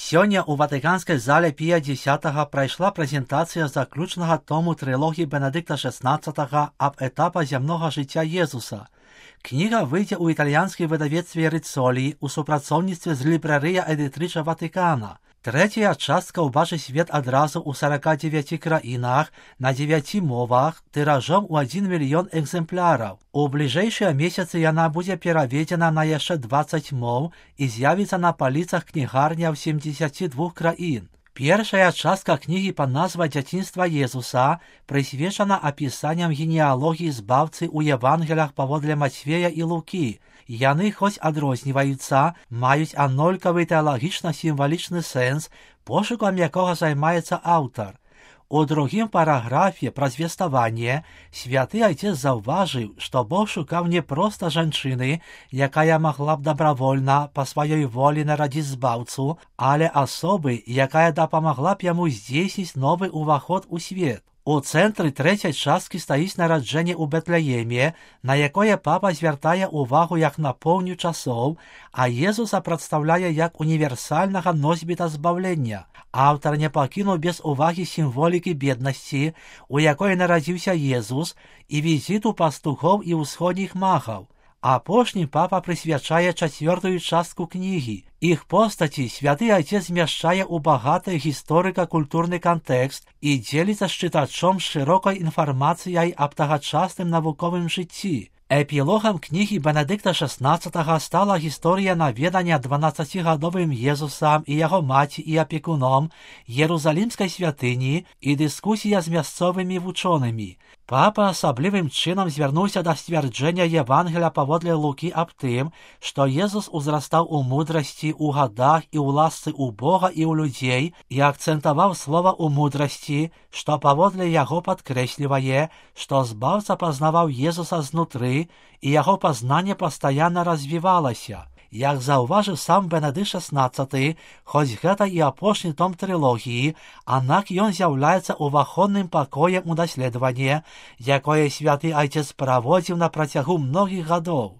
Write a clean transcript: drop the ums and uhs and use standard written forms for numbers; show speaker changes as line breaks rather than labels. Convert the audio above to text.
Сёння ў ватыканскай зале Пія X прайшла прэзентацыя заключнага тому трылогіі Бенедыкта XVI аб этапах зямнога жыцця Езуса. Кніга выйдзе ў італьянскай выдавецтве Рыцолі ў супрацоўніцтве з Лібрарыя Эдытрыча Ватыкана. Трэцяя частка ўбачыць свет адразу ў 49 краінах на 9 мовах тыражом у 1 мільён экземпляраў. У бліжэйшыя месяцы яна будзе пераведзена на яшчэ 20 моў і з'явіцца на паліцах кнігарняў 72 краін. Першая частка кнігі пад назвай «Дзяцінства Езуса» прысвечана апісанням генеалогіі збаўцы ў Евангелях паводле Мацвея і Лукі. Яны хоць адрозніваюцца, маюць аднолькавы тэалагічна-сімвалічны сэнс, пошукам якога займаецца аўтар. У другім параграфе пра звеставанне святы айцец заўважыў, што Бог шукаў не проста жанчыны, якая магла б дабравольна па сваёй волі нарадзіць збаўцу, але асобы, якая дапамагла б яму здзейсніць новы ўваход у свет. У цэнтры трэцяй часткі стаіць нараджэнне ў Бэтлееме, на якое папа звяртае ўвагу як на поўню часоў, а Езуса прадстаўляе як універсальнага носьбіта збаўлення. Аўтар не пакінуў без увагі сімволікі беднасці, у якой нарадзіўся Езус, і візіту пастухоў і ўсходніх магаў. Апошні папа прысвячае 4-ю частку кнігі. Іх постаці святы айцец змяшчае ў багаты гісторыка-культурны кантэкст і дзеліцца з чытачом шырокай інфармацыяй аб тагачасным навуковым жыцці. Эпілогам кнігі Бенедыкта XVI стала гісторыя наведання 12-гадовым Езусам і яго маці і апекуном Ерусалімскай святыні і дыскусія з мясцовымі вучонымі. Папа асаблівым чынам звярнуўся да сцвярджэння Евангеля паводле Лукі аб тым, што Езус узрастаў у мудрасці, у гадах і ў ласцы ў Бога і ў людзей, і акцэнтаваў слова ў мудрасці, што паводле яго падкрэслівае, што збаўца пазнаваў Езуса знутры, і яго пазнанне пастаянна развівалася. Як заўважыў сам Бенедыкт XVI, хоць гэта і апошні том трылогіі, аднак ён з'яўляецца уваходным пакоем у даследаванне, якое святы айцец праводзіў на працягу многіх гадоў.